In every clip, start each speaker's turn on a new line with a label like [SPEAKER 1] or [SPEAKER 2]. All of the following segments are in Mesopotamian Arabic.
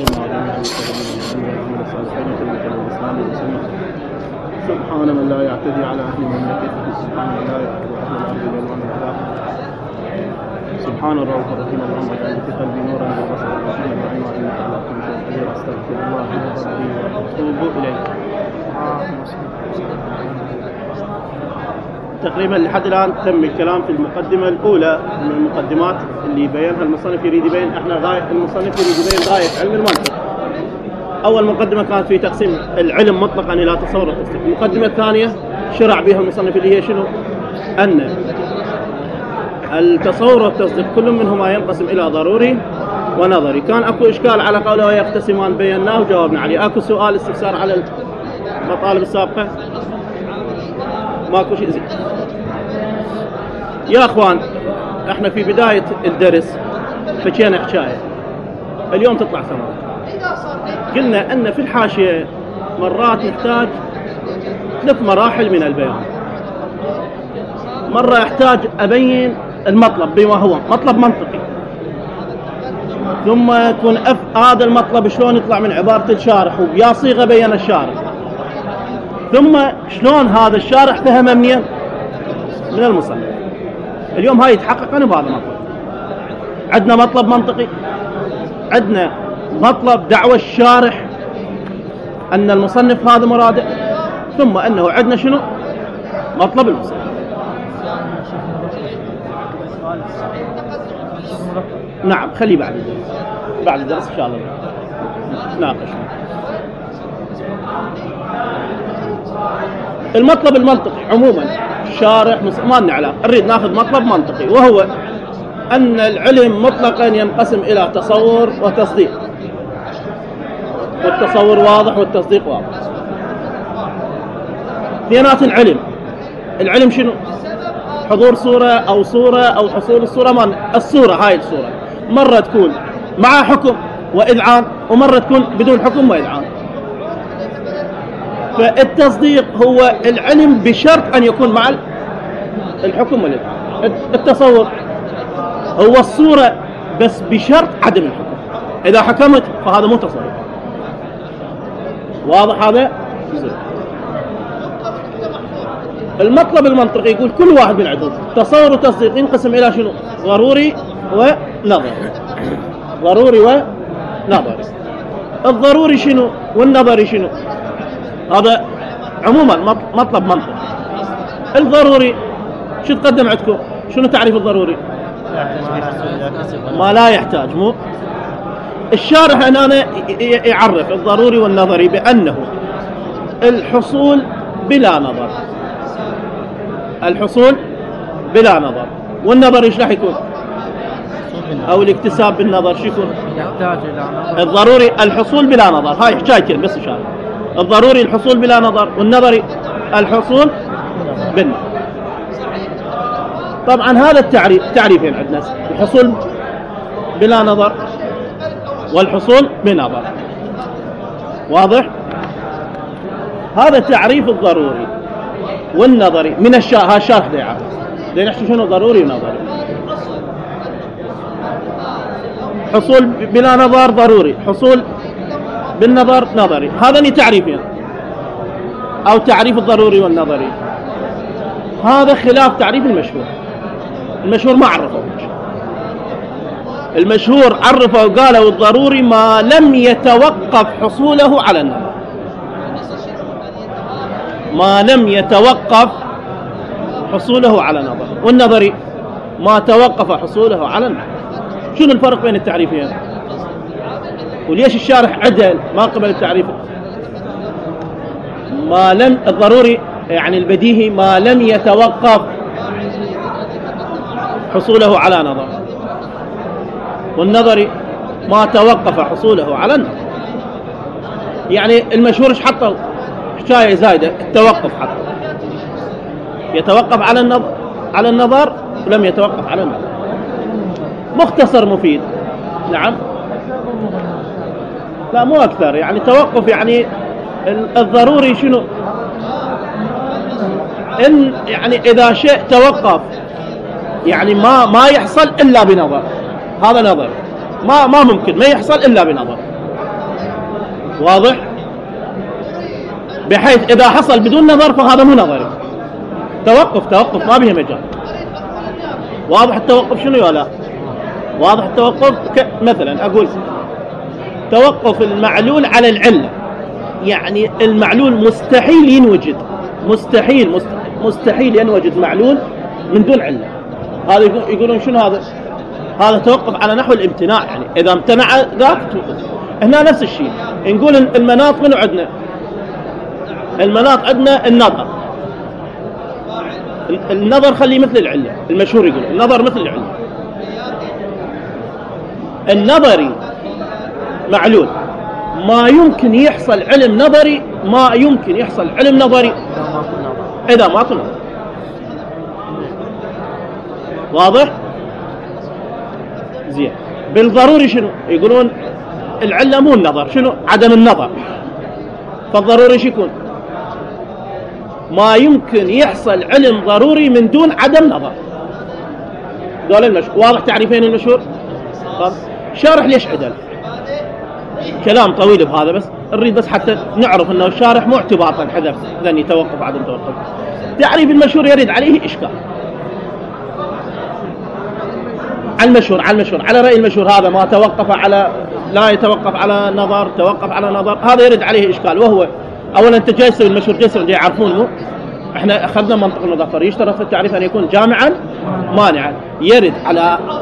[SPEAKER 1] سبحان من لا يعتدي على أهل مملكته، سبحان من لا يعتدي أهل الأرض بالوان الأخلاق. سبحان الرؤوف الرحيم، اللهم اجعل في قلبي نورا وبصرا وعلما وعلما إنك على كل شيء قدير. أستغفر الله ربي وأتوب إليه. تقريبا لحد الآن تم الكلام في المقدمة الأولى من المقدمات اللي بينها المصنف. يريد يبين المصنف يريد يبين غاية علم المنطق. أول مقدمة كانت في تقسيم العلم مطلقا إلى تصور وتصديق. المقدمة الثانية شرع بها المصنف اللي هي شنو؟ أن التصور والتصديق كل منهما ينقسم إلى ضروري ونظري. كان أكو إشكال على قوله ويقتسمان، بيناه وجاوبنا عليه. أكو سؤال استفسار على المطالب السابقة؟ ماكو شيء زين. يا أخوان، احنا في بداية الدرس حكينا حكاية، اليوم تطلع ثمرة. قلنا أن في الحاشية مرات نحتاج 3 مراحل من البيان. مرة يحتاج أبين المطلب بما هو مطلب منطقي، ثم يكون هذا المطلب شلون يطلع من عبارة الشارح وبيا صيغة بين الشارح، ثم شلون هذا الشارح فهم منين؟ من المصنف. اليوم هاي يتحقق أنا بهذا المطلب. عندنا مطلب منطقي، عندنا مطلب دعوة الشارح أن المصنف هذا مراده، ثم أنه عندنا شنو؟ مطلب المصنف. نعم، خليه بعد الدرس إن شاء الله ناقش. المطلب المنطقي عموما الشارح ما لنا علاقة، نريد ناخذ مطلب منطقي، وهو أن العلم مطلقا ينقسم إلى تصور وتصديق، والتصور واضح والتصديق واضح. اثنينات العلم شنو؟ حضور صورة أو حصول الصورة. الصورة هاي الصورة مرة تكون مع حكم وإذعان، ومرة تكون بدون حكم وإذعان. فالتصديق هو العلم بشرط أن يكون مع الحكم والإذعان. التصور هو الصورة بس بشرط عدم الحكم. إذا حكمت فهذا مو تصور. واضح هذا؟ المطلب المنطقي يقول كل واحد من عندهم تصور وتصديق ينقسم إلى شنو؟ ضروري ونظري. ضروري ونظري. الضروري شنو والنظري شنو؟ هذا عموما مطلب منطقي. الضروري شو تقدم عندكم؟ شنو تعريف الضروري؟ ما لا يحتاج. مو الشارح هنا يعرف الضروري والنظري بأنه الحصول بلا نظر. الحصول بلا نظر. والنظر ايش راح يكون؟ او الاكتساب بالنظر شو يكون؟ يحتاج الى نظر. الضروري الحصول بلا نظر، هاي حكايتين بس ان شاء الله. الضروري الحصول بلا نظر، والنظري الحصول بالنظر. طبعا هذا تعريفين عندنا، الحصول بلا نظر والحصول بنظر. واضح؟ هذا تعريف الضروري والنظري من الشارح ده يعرف. ده نحكي شنو ضروري ونظري. حصول بلا نظر ضروري، حصول بالنظر نظري. هذا تعريفين، أو تعريف الضروري والنظري. هذا خلاف تعريف المشهور. المشهور ما عرفه. المشهور عرفه وقاله الضروري ما لم يتوقف حصوله على النظر. ما لم يتوقف حصوله على نظر. والنظري ما توقف حصوله على النظر. شنو الفرق بين التعريفين؟ وليش الشارح عدل ما قبل التعريف؟ ما لم الضروري يعني البديهي ما لم يتوقف حصوله على نظر، والنظري ما توقف حصوله على النظر. يعني المشهور ايش حطوا؟ حكاية زايدة، التوقف حطوا. يتوقف على النظر ولم يتوقف على النظر. مختصر مفيد. نعم، لا مو أكثر. يعني توقف يعني الضروري شنو؟ إن يعني إذا شيء توقف يعني ما يحصل إلا بنظر، هذا نظر. ما ممكن ما يحصل إلا بنظر. واضح؟ بحيث إذا حصل بدون نظر فهذا مو نظري، توقف ما به مجال. واضح التوقف شنو ولا؟ واضح التوقف مثلا أقول توقف المعلول على العلة، يعني المعلول مستحيل ينوجد، مستحيل ينوجد معلول من دون علة. هذا يقولون شنو هذا؟ هذا توقف على نحو الامتناع، يعني إذا امتنع ذاك توقف. هنا نفس الشيء، نقول المناط منو عندنا؟ المناط عندنا النظر خليه مثل العلة، المشهور يقول النظر مثل العلة. النظري معلول، ما يمكن يحصل علم نظري، إذا ما كنا. واضح؟ زين. بالضروري شنو؟ يقولون العلة مو النظر، شنو؟ عدم النظر. فالضروري شو يكون؟ ما يمكن يحصل علم ضروري من دون عدم نظر. دول المشهور. واضح تعريفين المشهور؟ شارح ليش عدل؟ كلام طويل بهذا، بس نريد بس حتى نعرف انه الشارح مو اعتباطا حذف ذني توقف عدم توقف. تعريف المشهور يريد عليه اشكال. على المشهور على رأي المشهور هذا ما توقف على، لا يتوقف على نظر، توقف على نظر، هذا يرد عليه إشكال. وهو أولا أنت جاي تسوي المشهور جسر جاي يعرفون مو؟ احنا أخذنا منطق المظفر، يشترط في التعريف أن يكون جامعا مانعا. يرد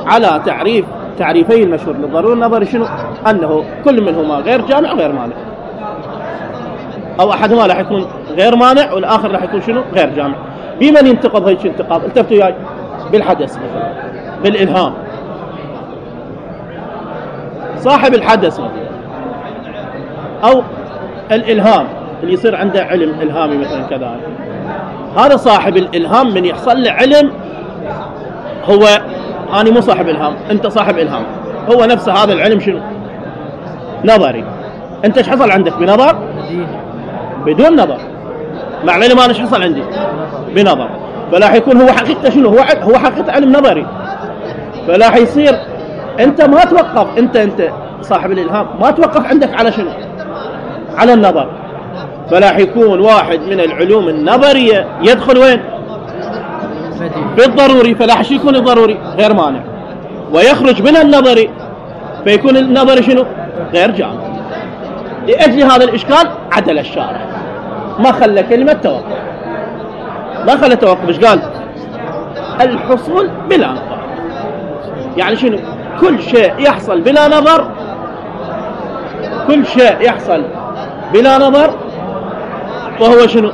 [SPEAKER 1] على تعريفي المشهور للضروري النظري شنو؟ أنه كل منهما غير جامع غير مانع، أو أحدهما راح يكون غير مانع والآخر راح يكون شنو؟ غير جامع. بمن ينتقض هيك انتقاض؟ التفتوا وياي. بالحدث مثلا، بالإلهام. صاحب الحدث مثلا، أو الإلهام اللي يصير عنده علم إلهامي مثلا كذلك، هذا صاحب الإلهام من يحصل له علم. هو أنا مو صاحب إلهام، أنت صاحب إلهام، هو نفسه هذا العلم شنو؟ نظري. أنت ايش حصل عندك؟ بنظر؟ بدون نظر. مع العلم أنا ايش حصل عندي؟ بنظر. فلا يكون هو حقيقة شنو؟ هو حقيقة علم نظري. فلا يصير أنت ما توقف، أنت صاحب الإلهام ما توقف عندك على شنو؟ على النظر. فلا يكون واحد من العلوم النظرية يدخل وين؟ في الضروري، فلا يكون الضروري غير مانع، ويخرج من النظري فيكون النظري شنو؟ غير جامع. لأجل هذا الإشكال عدل الشارع، ما خلى كلمة توقف، ما خلى توقف. إيش قال؟ الحصول بلا نظر. يعني شنو؟ كل شيء يحصل بلا نظر، كل شيء يحصل بلا نظر فهو شنو؟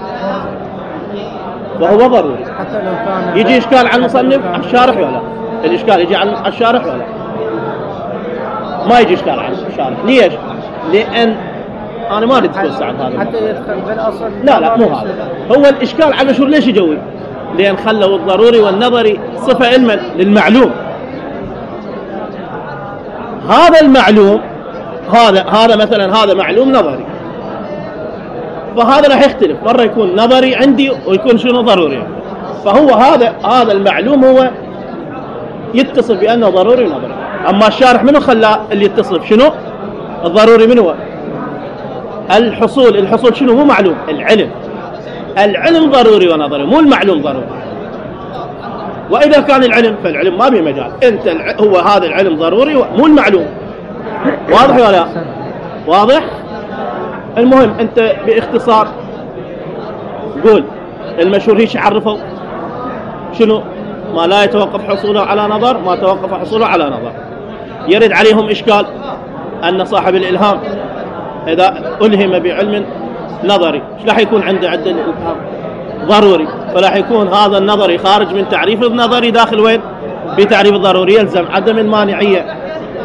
[SPEAKER 1] وهو ضروري.
[SPEAKER 2] حتى لو كان
[SPEAKER 1] يجي إشكال على المصنف على الشارح ولا؟ الإشكال يجي على الشارح ولا؟ ما يجي إشكال على الشارح. ليش؟ لأن أنا ما أريد أتوسع هذا
[SPEAKER 2] حتى يدخل بالأصل.
[SPEAKER 1] لا مو هذا هو الإشكال على المشهور. ليش يجوي؟ لأن خلوا الضروري والنظري صفة علما للمعلوم. هذا المعلوم هذا مثلا هذا معلوم نظري، فهذا راح يختلف، مرة يكون نظري عندي ويكون شنو ضروري. فهو هذا المعلوم هو يتصف بأنه ضروري ونظري. أما الشارح منه خلاه اللي يتصف شنو؟ الضروري منه الحصول شنو؟ مو معلوم، العلم ضروري ونظري، مو المعلوم ضروري. وإذا كان العلم فالعلم ما به مجال، أنت هو هذا العلم ضروري مو المعلوم. واضح ولا لا؟ واضح؟ المهم أنت باختصار قول المشهور هيش عرفوا شنو؟ ما لا يتوقف حصوله على نظر، ما توقف حصوله على نظر. يرد عليهم إشكال أن صاحب الإلهام إذا ألهم بعلم نظري ايش راح يكون عنده عدة الإلهام؟ ضروري. فراح يكون هذا النظري خارج من تعريف النظري داخل وين؟ بتعريف الضروري. يلزم عدم المانعية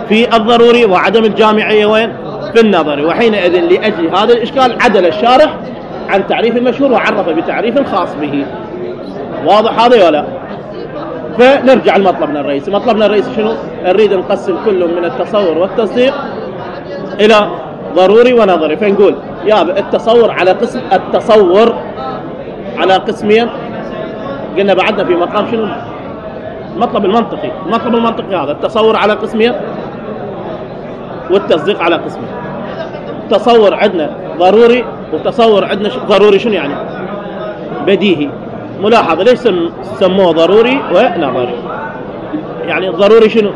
[SPEAKER 1] في الضروري وعدم الجامعية وين؟ في النظري. وحينئذ لأجل هذا الإشكال عدل الشارح عن تعريف المشهور وعرف بتعريف خاص به. واضح هذا ولا؟ فنرجع لمطلبنا الرئيسي. مطلبنا الرئيسي شنو؟ نريد نقسم كل من التصور والتصديق إلى ضروري ونظري. فنقول يا التصور على قسمين. قلنا بعدنا في مقام شنو؟ المطلب المنطقي هذا التصور على قسمين والتصديق على قسمين. تصور عندنا ضروري وتصور عندنا ضروري شنو يعني؟ بديهي. ملاحظة ليش سموه ضروري ونظري؟ يعني ضروري شنو؟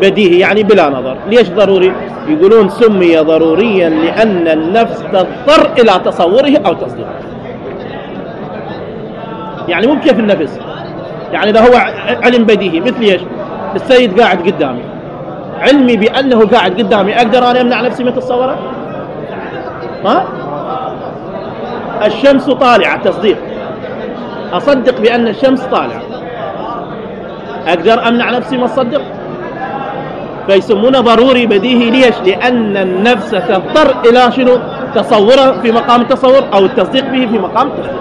[SPEAKER 1] بديهي يعني بلا نظر. ليش ضروري؟ يقولون سمي ضروريا لأن النفس تضطر إلى تصوره أو تصديقه. يعني مو كيف النفس، يعني إذا هو علم بديهي مثل ايش؟ السيد قاعد قدامي، علمي بأنه قاعد قدامي أقدر أنا أمنع نفسي من تصوره؟ ها؟ الشمس طالعة تصديق، أصدق بأن الشمس طالعة، أقدر أمنع نفسي ما أصدق؟ فيسمونه ضروري بديهي. ليش؟ لأن النفس تضطر إلى شنو؟ تصوره في مقام التصور أو التصديق به في مقام التصديق.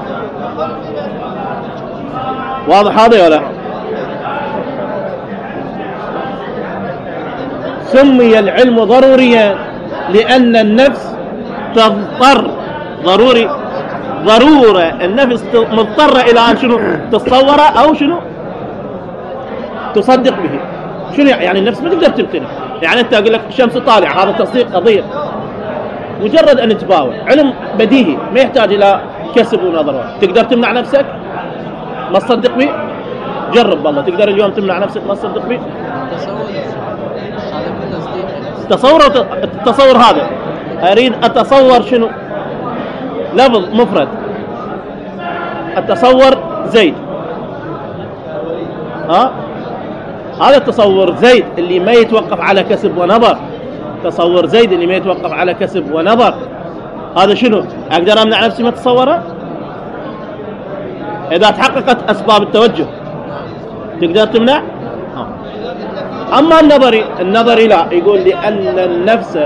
[SPEAKER 1] واضح هذا ولا؟ سمي العلم ضروريا لأن النفس تضطر، ضروري ضرورة النفس مضطرة إلى أن شنو؟ تصوره أو شنو؟ تصدق به. شنو يعني؟ النفس ما تقدر تمتنع. يعني أنت أقول لك الشمس طالعة، هذا تصديق قضية، مجرد أن تباوع، علم بديهي ما يحتاج إلى كسب ونظر. تقدر تمنع نفسك ما تصدق به؟ جرب والله، تقدر اليوم تمنع نفسك ما تصدق به؟ التصور هذا أريد أتصور شنو؟ لفظ مفرد، أتصور زيد، هذا التصور زيد اللي ما يتوقف على كسب ونظر، تصور زيد اللي ما يتوقف على كسب ونظر، هذا شنو؟ أقدر أمنع نفسي ما أتصوره؟ إذا تحققت أسباب التوجه تقدر تمنع؟ أما النظري لا، يقول لأن النفس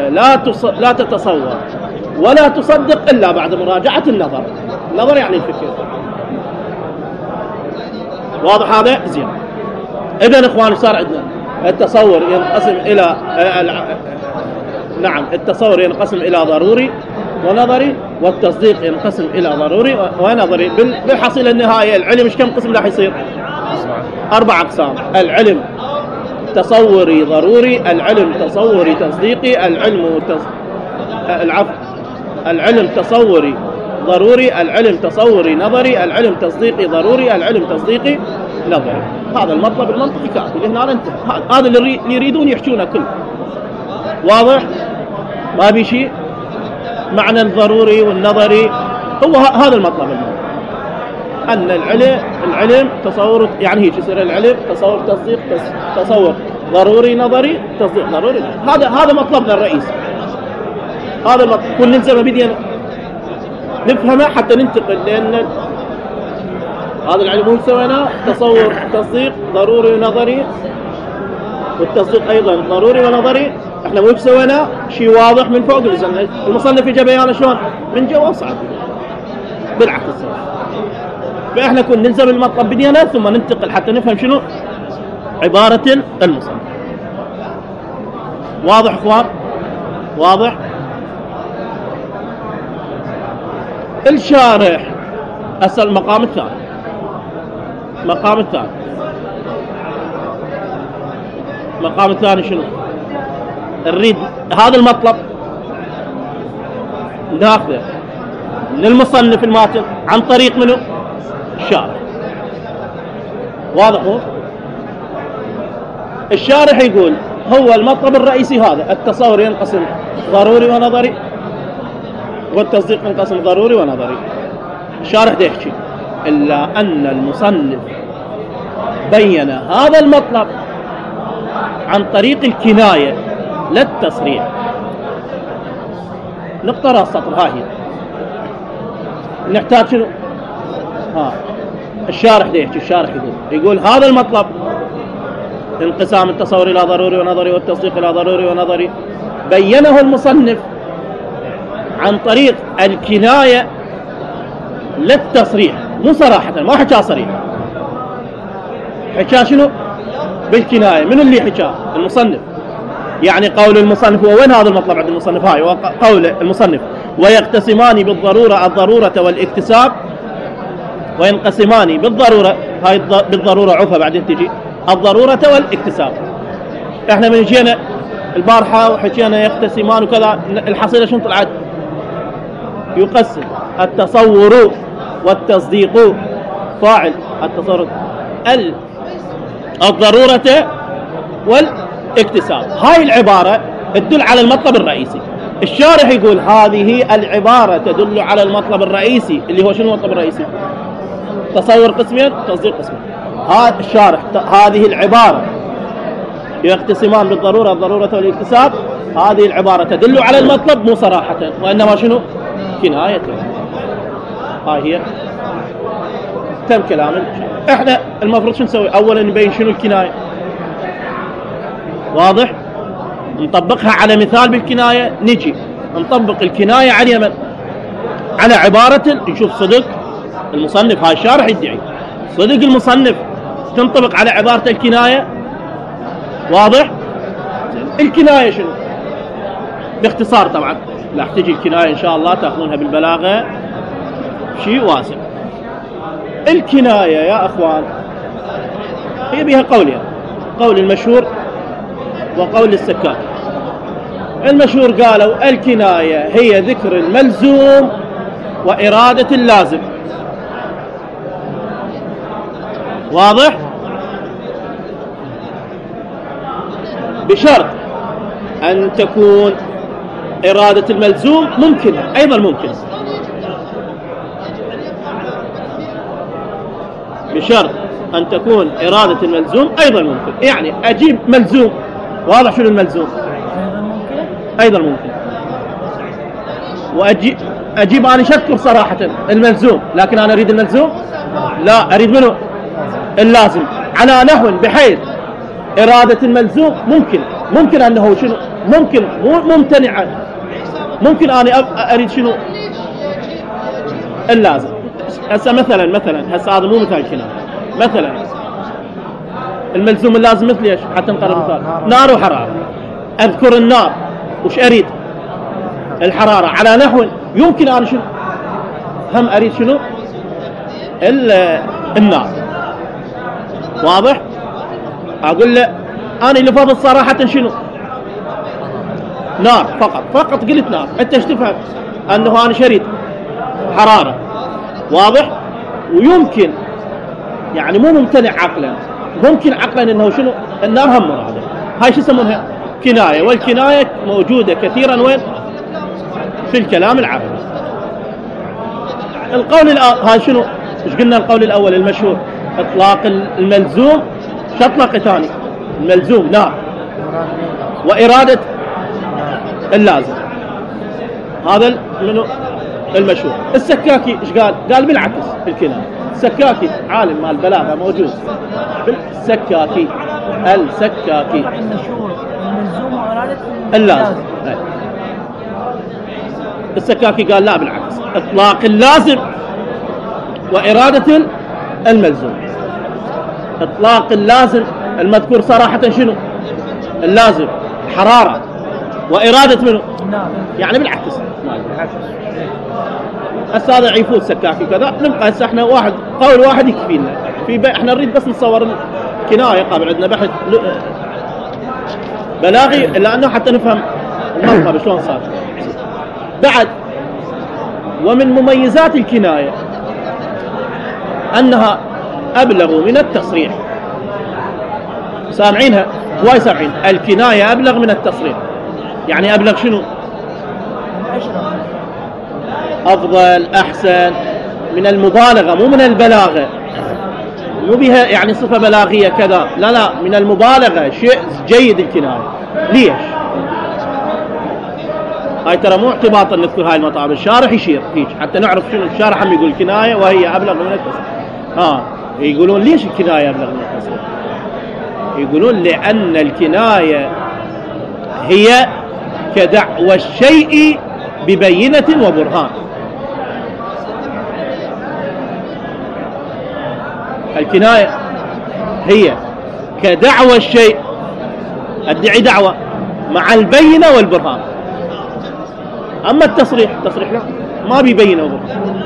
[SPEAKER 1] لا تتصور ولا تصدق إلا بعد مراجعة النظر. النظر يعني الفكر. واضح هذا؟ زين. إذن إخواني صار عندنا التصور ينقسم إلى التصور ينقسم إلى ضروري ونظري، والتصديق ينقسم إلى ضروري ونظري. بالحصيلة النهائية العلم إيش كم قسم راح يصير؟ 4 أقسام. العلم تصوري ضروري، العلم تصوري تصديقي، العلم تصوري ضروري، العلم تصوري نظري، العلم تصديقي ضروري، العلم تصديقي نظري. هذا المطلب المنطقي كافي، لهنا انتهى. هذا اللي يريدون يحجونه كله. واضح؟ ما بي شيء. معنى الضروري والنظري هو هذا المطلب المنطقي، أن العلم تصور، يعني هيك يصير العلم تصور تصديق، تصور ضروري نظري، تصديق ضروري. هذا مطلبنا الرئيسي. هذا المطلب كل نلزمه بدينا نفهمه حتى ننتقل، لأن هذا العلم هو سويناه تصور تصديق ضروري ونظري، والتصديق أيضا ضروري ونظري. احنا مو سويناه شيء واضح من فوق نزلنا. المصنف يجي بيانه شلون؟ من جوا صعب، بالعكس. فإحنا كنا نلزم المطلب بدينا ثم ننتقل حتى نفهم شنو عبارة المصنف. واضح اخوان؟ واضح؟ الشارح أسأل المقام الثاني. المقام الثاني شنو؟ نريد هذا المطلب ناخذه من المصنف الماتن عن طريق منه؟ الشارح. واضح هو؟ الشارح يقول هو المطلب الرئيسي هذا، التصور ينقسم ضروري ونظري، والتصديق ينقسم ضروري ونظري. الشارح ده يحكي إلا أن المصنف بين هذا المطلب عن طريق الكناية لا التصريح. نقطة السطر هاي نحتاج شنو؟ الشارح ده يحكي. الشارح يقول هذا المطلب، انقسام التصور إلى ضروري ونظري والتصديق إلى ضروري ونظري، بينه المصنف عن طريق الكناية لا التصريح. مو صراحة، ما حكى صريح، حكى شنو؟ بالكناية. من اللي حكى؟ المصنف. يعني قول المصنف هو وين هذا المطلب عند المصنف؟ هاي قول المصنف: ويقتسمان بالضرورة الضرورة والاكتساب، وينقسمان بالضرورة، هاي بالضرورة عفة بعدين تجي الضرورة والاكتساب. احنا من جينا البارحة وحكينا يقتسمان وكذا، الحصيلة شنو طلعت؟ يقسم. التصور والتصديق فاعل التصور، الضرورة والاكتساب. هاي العبارة تدل على المطلب الرئيسي. الشارح يقول هذه العبارة تدل على المطلب الرئيسي، اللي هو شنو المطلب الرئيسي؟ تصور قسمين، تصديق قسمين. هذا الشارح هذه العبارة يقتسمان بالضرورة، الضرورة والاكتساب. هذه العبارة تدل على المطلب مو صراحة، وإنما شنو؟ كناية. هاي هي تم كلام. احنا المفروض شو نسوي؟ اولا نبين شنو الكناية، واضح؟ نطبقها على مثال بالكناية. نجي نطبق الكناية على من؟ على عبارة. نشوف صدق المصنف، هاي الشارح يدعي صدق المصنف تنطبق على عبارة الكناية، واضح؟ الكناية شنو؟ باختصار طبعا لا تجي الكناية ان شاء الله تاخذونها بالبلاغة شيء واسع. الكناية يا اخوان هي بها قولين، قول المشهور وقول السكاك. المشهور قالوا الكناية هي ذكر الملزوم وإرادة اللازم، واضح؟ بشرط أن تكون إرادة الملزوم ممكنة، أيضا ممكنة، بشرط أن تكون إرادة الملزوم أيضا ممكن. يعني أجيب ملزوم، واضح شنو الملزوم؟ أيضا ممكن. وأجيب أنا شكر صراحة الملزوم، لكن أنا أريد الملزوم؟ لا، أريد منه اللازم، على نحو بحيث إرادة الملزوم ممكن أنه شنو؟ ممكن مو ممتنعا، ممكن أنا أريد شنو؟ اللازم. هسه مثلا هسه هذا مو مثال كلام. مثلا الملزوم اللازم مثل ايش؟ حتى نقرب مثال. نار وحرارة. اذكر النار، وش اريد؟ الحرارة، على نحو يمكن انا شنو؟ هم اريد شنو؟ النار، واضح؟ اقول له انا لفظ صراحة شنو؟ نار فقط قلت نار، انت ايش تفهم؟ انه انا شريد حرارة، واضح؟ ويمكن يعني مو ممتنع عقلا، ممكن عقلا انه شنو؟ النار هم مرادة. هاي شو يسمونها؟ كناية. والكناية موجودة كثيرا وين؟ في الكلام العربي. القول هاي شنو؟ ايش قلنا القول الاول المشهور؟ اطلاق الملزوم. شو اطلاق ثاني؟ الملزوم نار وإرادة اللازم. هذا منو؟ المشهور. السكاكي ايش قال؟ قال بالعكس في الكناية. السكاكي عالم مال البلاغة موجود. السكاكي
[SPEAKER 2] المشهور الملزوم وإرادة
[SPEAKER 1] اللازم. السكاكي قال لا بالعكس، اطلاق اللازم وإرادة الملزوم. اطلاق اللازم المذكور صراحة شنو؟ اللازم حرارة، وإرادة منه يعني بالعكس. هسه هذا يفوت سكاكي كذا. نبقى هسه احنا قول واحد يكفينا. احنا نريد بس نصور الكناية، قابل عندنا بحث بلاغي لانه حتى نفهم المطلب شلون صار. بعد ومن مميزات الكناية انها ابلغ من التصريح. سامعينها؟ واي سامعين؟ الكناية ابلغ من التصريح. يعني ابلغ شنو؟ افضل، احسن، من المبالغة، مو من البلاغة. مو بها يعني صفة بلاغية كذا، لا من المبالغة، شيء جيد الكناية. ليش؟ هاي ترى مو اعتباطا نذكر هاي المطالب، الشارح يشير هيك حتى نعرف شنو الشارح. هم يقول الكناية وهي ابلغ من التصريح. يقولون ليش الكناية ابلغ من التصريح؟ يقولون لأن الكناية هي كدعوى الشيء ببينة وبرهان. الكناية هي كدعوى الشيء، ادعي دعوة مع البينة والبرهان. أما التصريح لا، ما بيبينه وبرهان.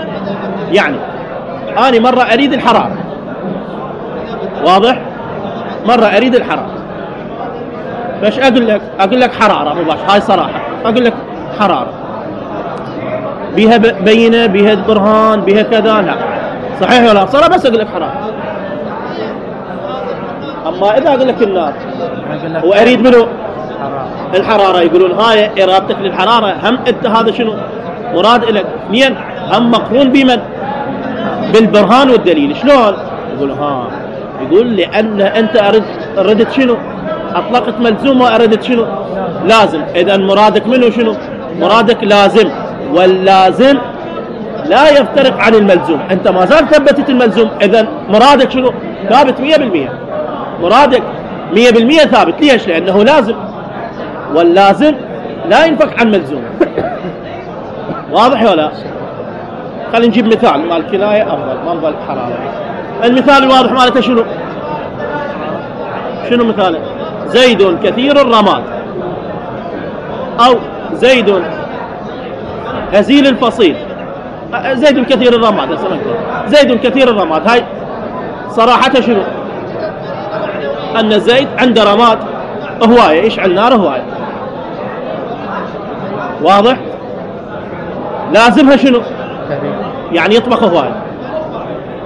[SPEAKER 1] يعني أنا مرة أريد الحرارة، واضح؟ مرة أريد الحرارة، فايش اقول لك؟ اقول لك حراره مباشره، هاي صراحه اقول لك حراره بيها بينه، بيها برهان، بيها كذا، لا صحيح ولا صراحه؟ بس اقول لك حراره. اما اذا اقول لك النار واريد منه الحراره، يقولون هاي ارادتك للحراره، هم انت هذا شنو مراد لك؟ اثنين هم مقرون بمن؟ بالبرهان والدليل. شلون؟ يقول يقول لان انت اردت شنو؟ اطلقت ملزوم واردت شنو؟ لازم. اذا مرادك منه شنو؟ مرادك لازم، واللازم لا يفترق عن الملزوم. انت ما زال ثبتت الملزوم، اذا مرادك شنو؟ ثابت 100%. مرادك 100% ثابت. ليش؟ لانه لازم، واللازم لا ينفك عن ملزوم. واضح ولا؟ خلينا نجيب مثال مال الكناية افضل، ما نظل حرارة. المثال الواضح مالته شنو؟ شنو مثاله؟ زيد كثير الرماد، او زيد هزيل الفصيل. زيد كثير الرماد، زيد كثير الرماد، هاي صراحة شنو؟ ان زيد عنده رماد هواية، يشعل نار هواية. واضح؟ لازمها شنو؟ يعني يطبخ هواية.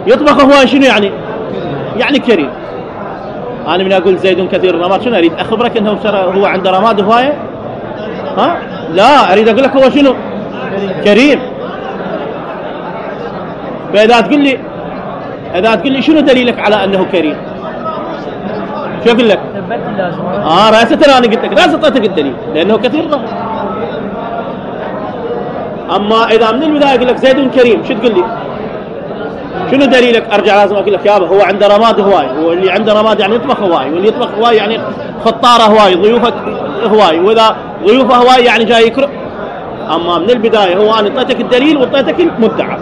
[SPEAKER 1] يطبخ هواية شنو يعني؟ يعني كريم. انا من اقول زيد كثير الرماد شنو اريد؟ اخبرك انه هو عنده رماد هواية؟ لا، اريد اقول لك هو شنو؟ كريم. فاذا تقول لي، اذا تقول لي شنو دليلك على انه كريم؟ شو اقول لك؟
[SPEAKER 2] ثبت اللازم.
[SPEAKER 1] راسة انا قلت لك راسة اعطيتك الدليل لانه كثير رماد. اما اذا من البدايه اقول لك زيد كريم، شو تقول لي؟ شنو دليلك؟ ارجع لازم اقول لك يابا هو عنده رماد هواي، واللي عنده رماد يعني يطبخ هواي، واللي يطبخ هواي يعني خطاره هواي، ضيوفه هواي، واذا ضيوفه هواي يعني جاي يكرم. اما من البدايه هو انا اعطيتك الدليل واعطيتك المدعى.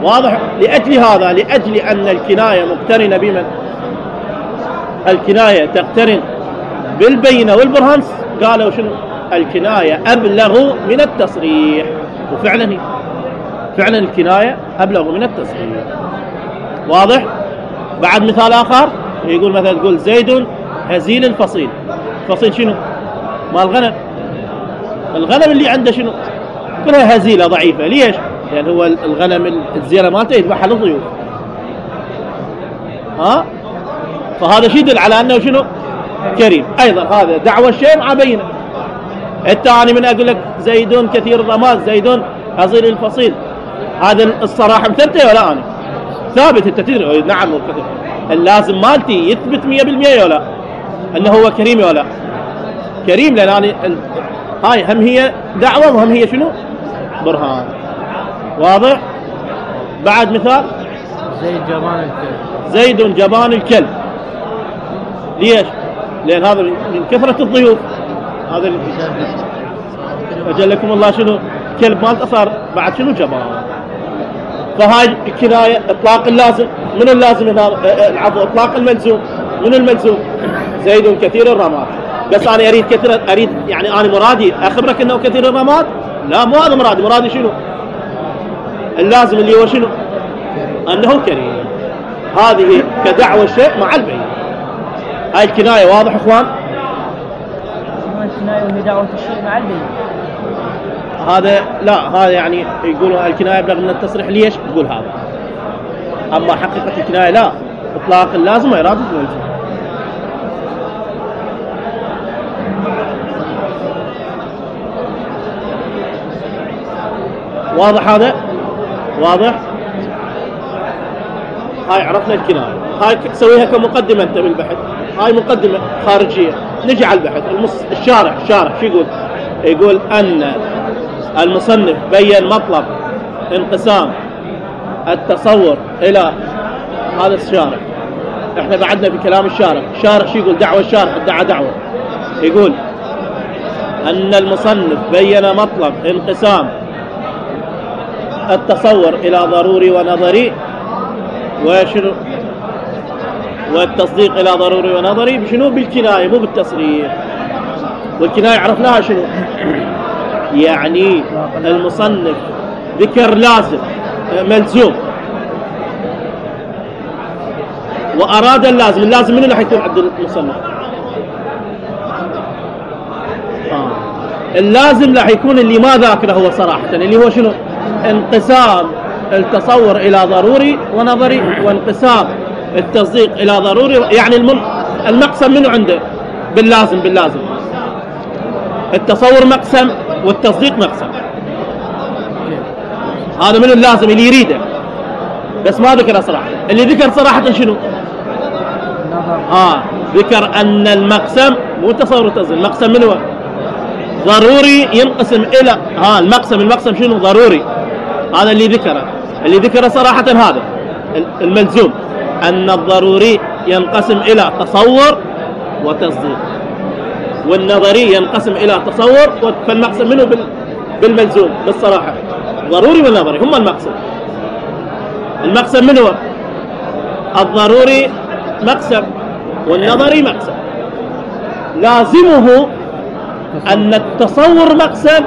[SPEAKER 1] واضح؟ لاجل هذا، لاجل ان الكنايه مقترنه بمن؟ الكنايه تقترن بالبينه والبرهان. قالوا شنو؟ الكنايه ابلغ من التصريح. وفعلا فعلا الكنايه ابلغ من التصريح. واضح؟ بعد مثال اخر يقول مثلا تقول زيد هزيل الفصيل. الفصيل شنو؟ مال الغنم. الغنم اللي عنده شنو؟ كلها هزيله ضعيفه. ليش؟ لان هو الغنم الزينه مالته يذبحها للضيوف. فهذا شيء يدل على انه شنو؟ كريم. ايضا هذا دعوى الشيء مع بينه. الثاني من اقول لك زيد كثير الرماد، زيد هزيل الفصيل، هذا الصراحه مثبته ولا انا؟ ثابت. انت تدري نعم اللازم مالتي يثبت 100% ولا انه هو كريم ولا كريم، لان انا هاي هم هي دعوه وهم هي شنو؟ برهان. واضح؟ بعد مثال
[SPEAKER 2] زيد جبان الكلب.
[SPEAKER 1] زيد جبان الكلب. ليش؟ لان هذا من كثره الضيوف. هذا اجلكم الله شنو؟ كلب مالته صار بعد شنو؟ جبان. فهاي الكنايه اطلاق اللازم. من اللازم هنا؟ العفو، اطلاق الملزوم. من الملزوم؟ زيد كثير الرماد. بس انا اريد كثير، اريد يعني انا مرادي اخبرك انه كثير الرماد؟ لا، مو هذا مرادي. مرادي شنو؟ اللازم اللي هو شنو؟ انه كريم. هذه كدعوى الشيء مع البين. هاي الكنايه. واضح اخوان؟
[SPEAKER 2] الكنايه وهي دعوه الشيء مع البين.
[SPEAKER 1] هذا لا، هذا يعني يقولوا الكنايه ابلغ من التصريح. ليش تقول هذا؟ اما حقيقه الكنايه لا، اطلاق اللازم واراده الملزوم. واضح هذا؟ واضح؟ هاي عرفنا الكنايه. هاي تسويها كمقدمه انت بالبحث. هاي مقدمه خارجيه. نجي على البحث. الشارح شو يقول؟ يقول ان المصنف بين مطلب انقسام التصور الى هذا الشارح. احنا بعدنا في كلام الشارح. الشارح شو يقول؟ دعوة الشارح ادعى دعوة. يقول ان المصنف بين مطلب انقسام التصور الى ضروري ونظري، وشنو؟ والتصديق الى ضروري ونظري بشنو؟ بالكناية، مو بالتصريح. والكناية عرفناها شنو؟ يعني المصنف ذكر لازم ملزوم وأراد اللازم. اللازم من اللي حيكون عند المصنف؟ اللازم راح يكون اللي ما ذاكره هو صراحة، اللي هو شنو؟ انقسام التصور إلى ضروري ونظري، وانقسام التصديق إلى ضروري. يعني المقسم منه عنده باللازم التصور مقسم والتصديق مقسم. هذا من اللازم اللي يريده، بس ما ذكر صراحة. اللي ذكر صراحة شنو؟ ذكر أن المقسم مو تصور التصديق، المقسم منه ضروري ينقسم إلى المقسم شنو؟ ضروري. هذا اللي ذكره صراحة. هذا الملزوم أن الضروري ينقسم إلى تصور وتصديق، والنظري ينقسم إلى تصور. فالمقسم منه بالملزوم بالصراحة ضروري والنظري هم المقسم منه الضروري مقسم والنظري مقسم. لازمه أن التصور مقسم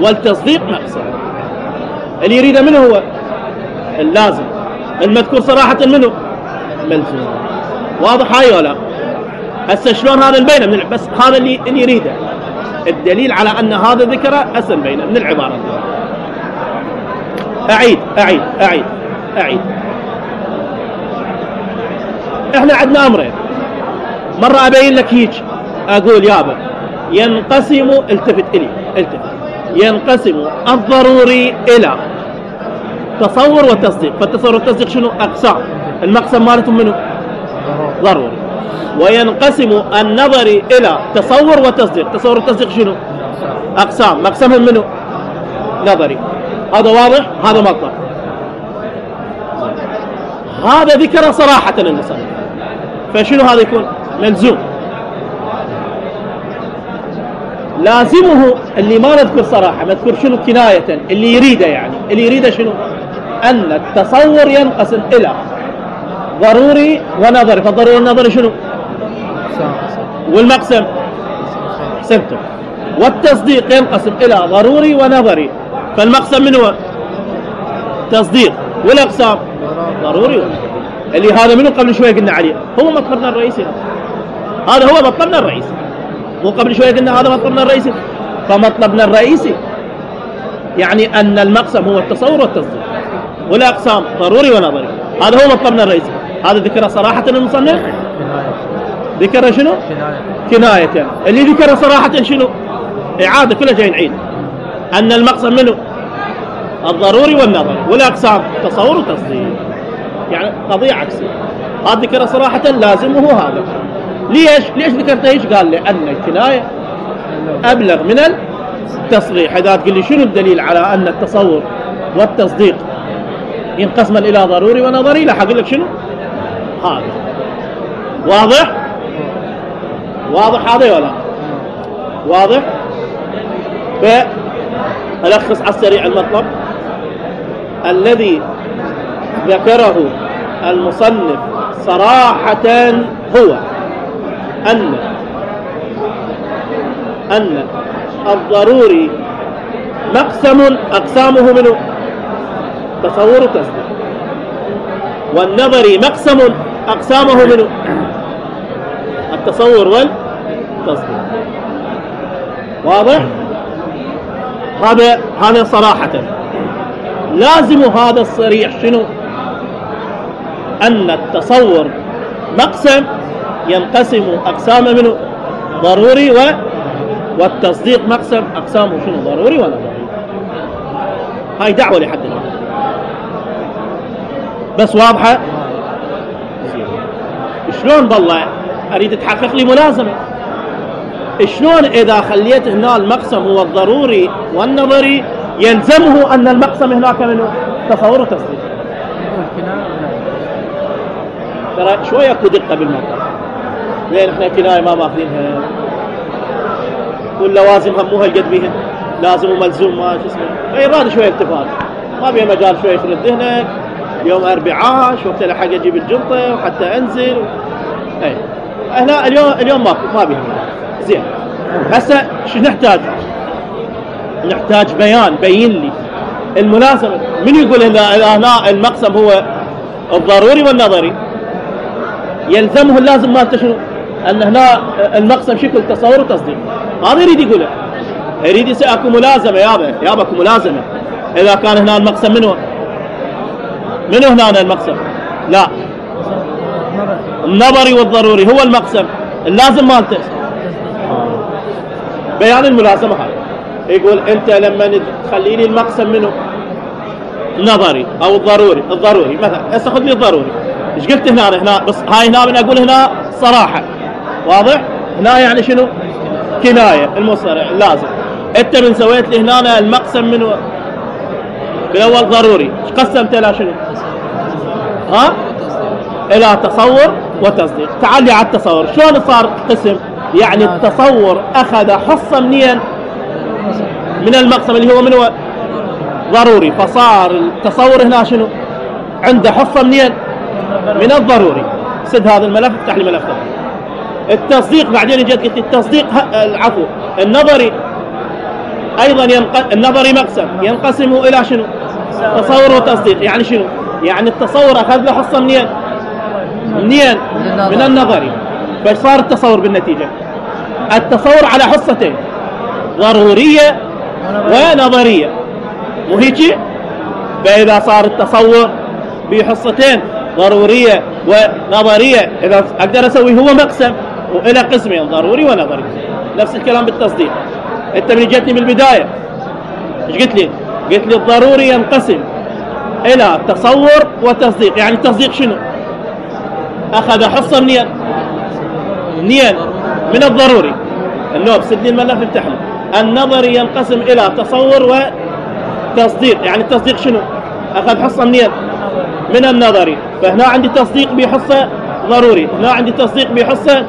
[SPEAKER 1] والتصديق مقسم. اللي يريده منه هو اللازم المذكور صراحة منه ملزوم. واضح هاي ولا؟ هسه شلون هذا نبينه بس هذا اللي يريده الدليل على أن هذا ذكره هسه نبينه من العبارة دي. أعيد. احنا عندنا أمرين. مرة أبين لك هيك أقول يابا ينقسم، التفت ينقسم الضروري إلى تصور وتصديق. فالتصور والتصديق شنو؟ أقسام. المقسم مالتهم منه ضروري. وينقسم النظري إلى تصور وتصديق. تصور والتصديق شنو؟ أقسام. مقسمهم منه نظري. هذا واضح؟ هذا مطلب. هذا ذكر صراحة المصنف، فشنو هذا يكون؟ ملزوم. لازمه اللي ما نذكر صراحة، نذكر شنو؟ كناية. اللي يريده يعني اللي يريده شنو؟ أن التصور ينقسم إلى ضروري ونظري. فالضروري والنظري شنو؟ والمقسم حسبته. والتصديق ينقسم إلى ضروري ونظري. فالمقسم منه تصديق، والأقسام ضروري ونظري. اللي هذا منه قبل شوية قلنا عليه هو مطلبنا الرئيسي. هذا هو مطلبنا الرئيسي. مو قبل شوية قلنا هذا مطلبنا الرئيسي. فمطلبنا الرئيسي يعني أن المقسم هو التصور والتصديق، والأقسام ضروري ونظري. هذا هو مطلبنا الرئيسي. هذا ذكره صراحة المصنف. ذكره شنو؟ كناية. اللي ذكره صراحة شنو؟ إعادة كلها جاي نعيد. أن المقسم منه الضروري والنظري، والأقسام تصور وتصديق. يعني قضية عكسية. هذا ذكره صراحة لازمه هذا. ليش ذكرت ايش؟ قال لأن الكناية أبلغ من التصريح. إذا تقول لي شنو الدليل على أن التصور والتصديق ينقسم إلى ضروري ونظري، لا أقول لك شنو هذا. واضح هذا ولا واضح؟ فألخص على السريع المطلب الذي ذكره المصنف صراحة هو أن الضروري مقسم أقسامه منه تصور وتصديق، والنظري مقسم أقسامه منه التصور والتصديق. واضح؟ هذا صراحة. لازم هذا الصريح شنو؟ أن التصور مقسم ينقسم أقسام منه ضروري والتصديق مقسم أقسامه شنو؟ ضروري ونظري. هاي دعوة لحد الآن بس واضحة؟ شلون بالله أريد تحقق لي ملازمة. شلون إذا خليت هنا المقسم هو الضروري والنظري يلزمه أن المقسم هناك منه تصور وتصديق؟ ترى شوية اكو دقة بالموضوع. لين احنا كناية ما ماخذينها، واللوازم هم مو هالقد بيهن، لازم وملزوم ما شو اسمه. فيراد شوية التفات، ما بيها مجال شوية يفرد ذهنك. يوم أربعاء شوفت لحق أجيب الجنطة وحتى أنزل أي هنا اليوم ما بيها زين. هسه شو نحتاج؟ نحتاج بين لي الملازمة. من يقول هنا المقسم هو الضروري والنظري يلزمه اللازم مالته شنو؟ ان هنا المقسم شكل تصور وتصديق. هذا يريد يقوله، يريد يصير اكو ملازمه يابا اكو ملازمه. اذا كان هنا المقسم منو هنا المقسم؟ لا، النظري والضروري هو المقسم اللازم مالته. بيان الملازمه هاي يقول انت لما تخلي لي المقسم منه النظري او الضروري مثلا هسه خذ لي الضروري. ايش قلت هنا بس هاي هنا من اقول هنا صراحه واضح. هنا يعني شنو؟ كنايه المصطلح لازم. انت من سويت لي هنا المقسم منه بالاول ضروري، ايش قسمته الى شنو؟ الى تصور وتصديق. تعال لي على التصور شلون صار قسم. يعني التصور اخذ حصه منين؟ من المقسم اللي هو منه ضروري، فصار التصور هنا شنو؟ عنده حصه منين؟ من الضروري. سد هذا الملف، افتح لي ملف ثاني. التصديق بعدين جيت قلت التصديق العفو النظري ايضا النظري مقسم ينقسم الى شنو؟ تصور وتصديق. يعني شنو؟ يعني التصور اخذ له حصه منين؟ من النظري. فصار التصور بالنتيجه التصور على حصتين، ضروريه ونظريه، مو هيك؟ فاذا صار التصور بحصتين ضروريه ونظريه، اذا اقدر اسوي هو مقسم والى قسمين ضروري ونظري. نفس الكلام بالتصديق. انت من جتني بالبدايه ايش قلت لي؟ قلت لي الضروري ينقسم الى تصور وتصديق. يعني التصديق شنو؟ اخذ حصه منين؟ من الضروري. النوب سد لي الملف افتح لي. النظري ينقسم الى تصور وتصديق. يعني التصديق شنو؟ اخذ حصه منين؟ من النظري. فهنا عندي تصديق بحصه ضروري، هنا عندي تصديق بحصه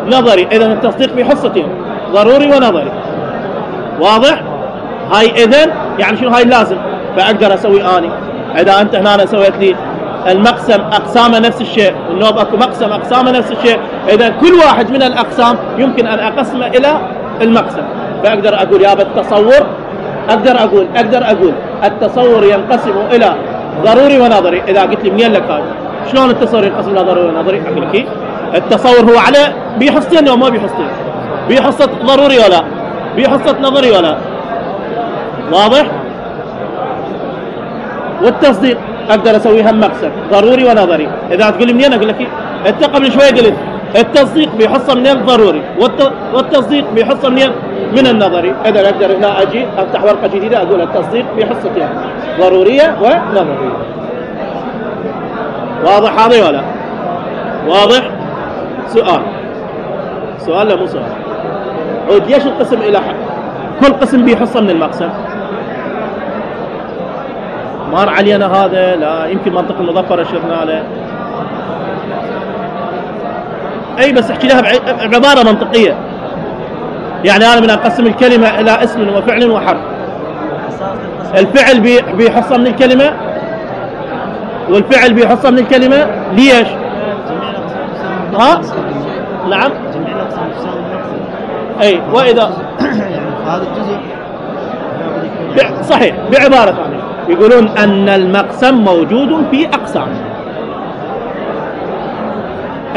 [SPEAKER 1] نظري. اذا التصديق بحصتين ضروري ونظري. واضح؟ هاي اذا يعني شنو؟ هاي لازم. فاقدر اسوي اني اذا انت هنا سويت لي المقسم اقسامه نفس الشيء، النوب اكو مقسم اقسامه نفس الشيء، اذا كل واحد من الاقسام يمكن ان اقسمه الى المقسم. فاقدر اقول يا التصور اقدر اقول التصور ينقسم الى ضروري ونظري. اذا قلت لي منين لك هذا؟ شلون التصور ينقسم الى ضروري ونظري؟ اقول لك التصور هو على بحصتين او ما بحصتين؟ بحصه ضروري ولا بحصه نظري ولا؟ واضح؟ والتصديق اقدر اسويها مقسم ضروري ونظري. اذا تقول لي منين؟ اقول لك انت قبل شوي قلت التصديق بحصه من الضروري والتصديق بحصه من النظري. اذا اقدر هنا اجي افتح ورقه جديده اقول التصديق بحصتين ضروريه ونظريه. واضح هذا ولا؟ واضح؟ سؤال لا مو سؤال. عود ليش القسم الى كل قسم بحصه من المقسم؟ مار علينا هذا، لا يمكن منطق المظفر اشرنا له. اي بس احكي لها بعباره منطقيه. يعني انا من اقسم الكلمه الى اسم وفعل وحرف. الفعل بحصه من الكلمه والفعل بحصه من الكلمه. ليش؟ نعم. اي واذا
[SPEAKER 2] هذا الجزء
[SPEAKER 1] صحيح. بعباره ثانيه يقولون ان المقسم موجود في اقسام.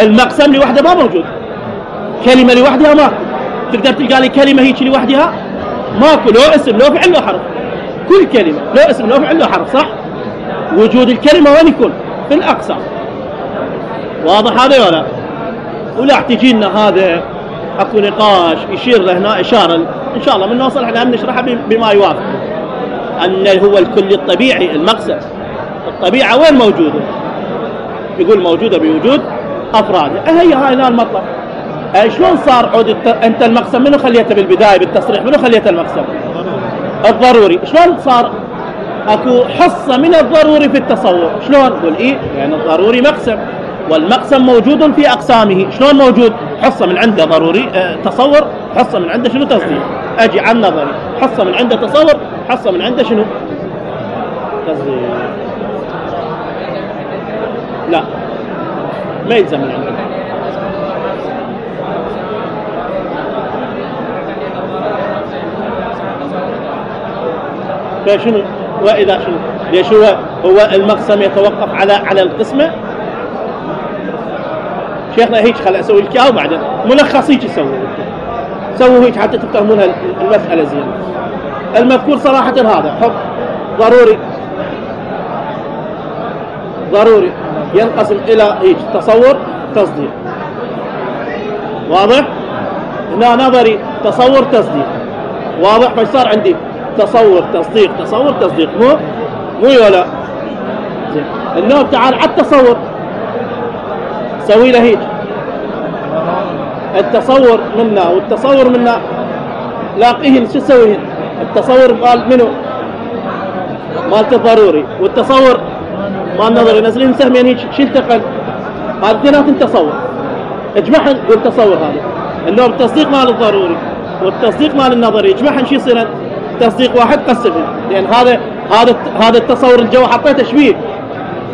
[SPEAKER 1] المقسم لوحده ما موجود، كلمه لوحدها ماكو. تقدر تلقى لي كلمه هيك لوحدها ماكو، لو اسم لو فعل لو حرف. كل كلمه لو اسم لو فعل لو حرف، صح؟ وجود الكلمه وين يكون؟ في الاقسام. واضح هذا ولا؟ ولا تجي لنا هذا اكو نقاش يشير له هنا اشاره ان شاء الله من نوصل احنا نشرحها بما يوافق. ان هو الكل الطبيعي المقسم. الطبيعه وين موجوده؟ يقول موجوده بوجود افرادها. هي هاي هنا المطلب. شلون صار عود انت المقسم منو خليته بالبدايه بالتصريح؟ منو خليته المقسم؟ الضروري. شلون صار اكو حصه من الضروري في التصور؟ شلون؟ قول يعني الضروري مقسم والمقسم موجود في اقسامه. شلون موجود؟ حصه من عنده ضروري تصور، حصه من عنده شنو؟ تصديق. اجي على النظري حصه من عنده تصور، حصه من عنده شنو؟ تصديق. لا ما يلزم من عنده. فشنو؟ واذا شنو؟ ليش هو المقسم يتوقف على القسمه؟ شيخنا هيك خل اسوي لك اياه وبعدين ملخص هيك سووا هيك حتى تفهمون المسألة زين. المذكور صراحة هذا حكم ضروري ينقسم إلى هيك تصور تصديق. واضح؟ هنا نظري تصور تصديق. واضح؟ فصار عندي تصور تصديق مو يولا. زين النوع تعال على التصور سوي له هيك التصور منا والتصور منا لاقيهن شو تسويهن؟ التصور مال منو؟ مالت الضروري، والتصور مال النظري نزلين سهمين هيك شو التقل؟ هذا اثنيناتن تصور اجمعهن والتصور هذا اللي هو التصديق مال الضروري والتصديق مال النظري اجمعهن شو يصير؟ تصديق واحد قسمهن، لان هذا التصور الجو حطيته شبيه.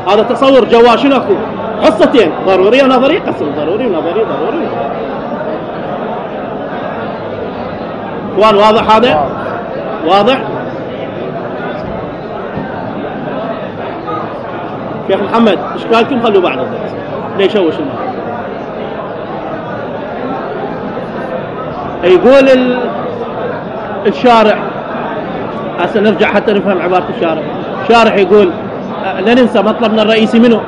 [SPEAKER 1] هذا التصور جوا شنو اكو؟ حصتين ضروري ونظري، قسم ضروري ونظري اخوان. واضح هذا؟ واضح؟ شيخ محمد اشكالكم خلوا بعد الدرس ليش هو شنو يقول الشارع. هسه نرجع حتى نفهم عبارة الشارع. الشارع يقول لا ننسى مطلبنا الرئيسي منه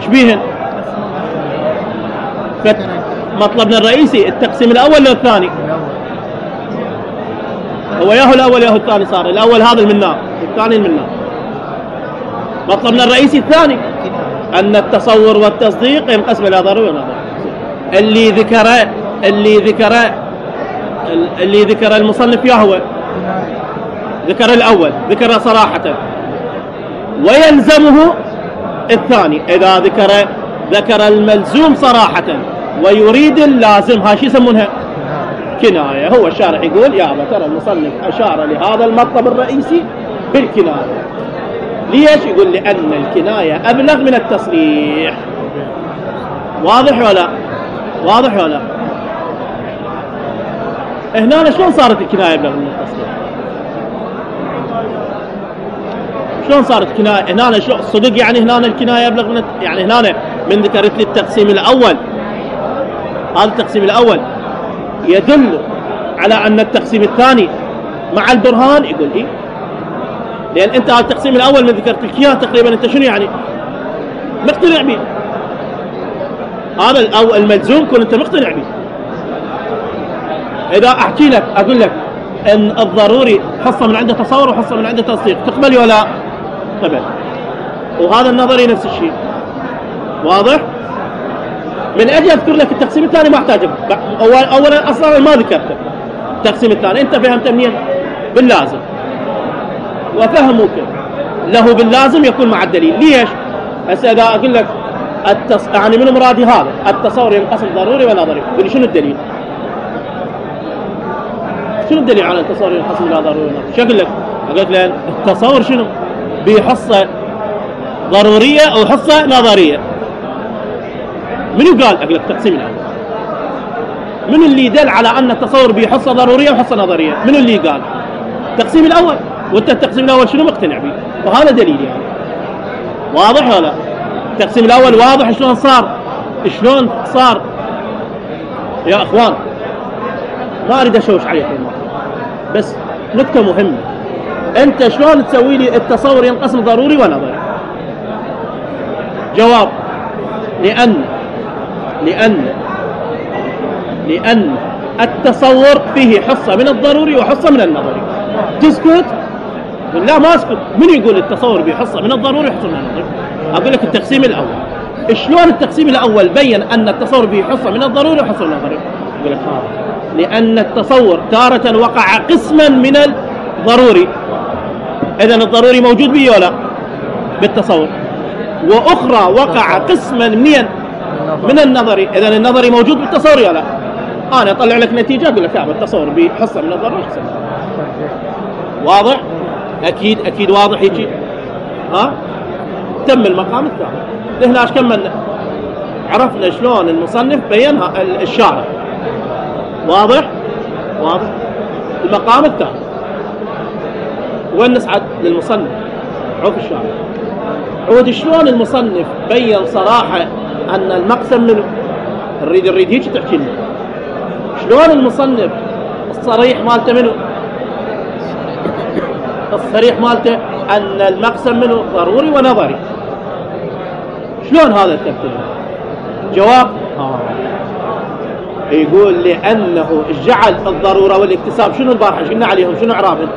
[SPEAKER 1] شبيهن؟ مطلبنا الرئيسي التقسيم الأول ولا الثاني؟ هو ياهو الأول ياهو الثاني. صار الأول هذا المنار الثاني المنار. مطلبنا الرئيسي الثاني أن التصور والتصديق ينقسم إلى ضروري ونظري. اللي ذكر المصنف ياهو ذكر الأول ذكر صراحة، ويلزمه الثاني إذا ذكر الملزوم صراحة ويريد اللازم. هاي شو يسمونها؟ كناية. هو الشارع يقول يا ترى المصنف أشار لهذا المطلب الرئيسي بالكناية. ليش؟ يقول لأن الكناية أبلغ من التصريح. واضح ولا؟ هنا شلون صارت الكناية أبلغ من التصريح؟ شلون صارت كناية؟ هنا صدق يعني هنا الكناية أبلغ من يعني هنا من ذكرت لي التقسيم الأول. هذا التقسيم الأول يدل على أن التقسيم الثاني مع البرهان. يقول إيه؟ لأن أنت هذا التقسيم الأول من ذكرت لك إياه تقريبا أنت شنو يعني؟ مقتنع به. هذا الملزوم كن أنت مقتنع به. إذا أحكي لك أقول لك أن الضروري حصة من عنده تصور وحصة من عنده تصديق، تقبل ولا؟ قبل. وهذا النظري نفس الشيء. واضح؟ من أجل أذكر لك التقسيم الثاني ما أحتاج. أولا أصلا ما ذكرته التقسيم الثاني. أنت فهمت منين؟ باللازم. وفهمك له باللازم يكون مع الدليل. ليش؟ هسه إذا أقول لك يعني من مرادي هذا التصور ينقسم ضروري ونظري، قل لي شنو الدليل؟ شنو الدليل على التصور ينقسم إلى ضروري ونظري؟ شو أقول لك؟ أقول لك لأن التصور شنو؟ بحصة ضرورية أو حصة نظرية. منو قال؟ أقول لك التقسيم الأول. من اللي دل على أن التصور بحصة ضرورية وحصة نظرية؟ من اللي قال؟ التقسيم الأول. وأنت التقسيم الأول شنو مقتنع به؟ وهذا دليل يعني. واضح ولا؟ التقسيم الأول واضح شلون صار يا أخوان. ما أريد أشوش عليكم بس نكتة مهمة. أنت شلون تسوي لي التصور ينقسم ضروري ونظري؟ جواب: لأن التصور فيه حصة من الضروري وحصة من النظري. تسكت؟ لا ما أسكت. من يقول التصور به حصة من الضروري وحصة من النظري؟ أقول لك التقسيم الأول. شلون التقسيم الأول بين أن التصور به حصة من الضروري وحصة من النظري؟ أقول لك لأن التصور تارة وقع قسما من الضروري، إذن الضروري موجود به ولا بالتصور، وأخرى وقع قسما من النظري، إذن النظري موجود بالتصور ولا. أنا أطلع لك نتيجة أقول لك التصور بحصة من الضروري وحصة من النظري. واضح؟ أكيد واضح هيك. تم المقام الثاني. هنا كملنا عرفنا شلون المصنف بينها الشارع. واضح؟ المقام الثاني وين نسعد للمصنف عرف الشارع. عود شلون المصنف بين صراحة أن المقسم منه نريد هيك تحكي لنا شلون المصنف الصريح مالته منه الصريح مالته أن المقسم منه ضروري ونظري. شلون هذا الترتيب؟ جواب يقول لأنه جعل الضرورة والاكتساب شنو البارحة قلنا عليهم شنو إعرابهم؟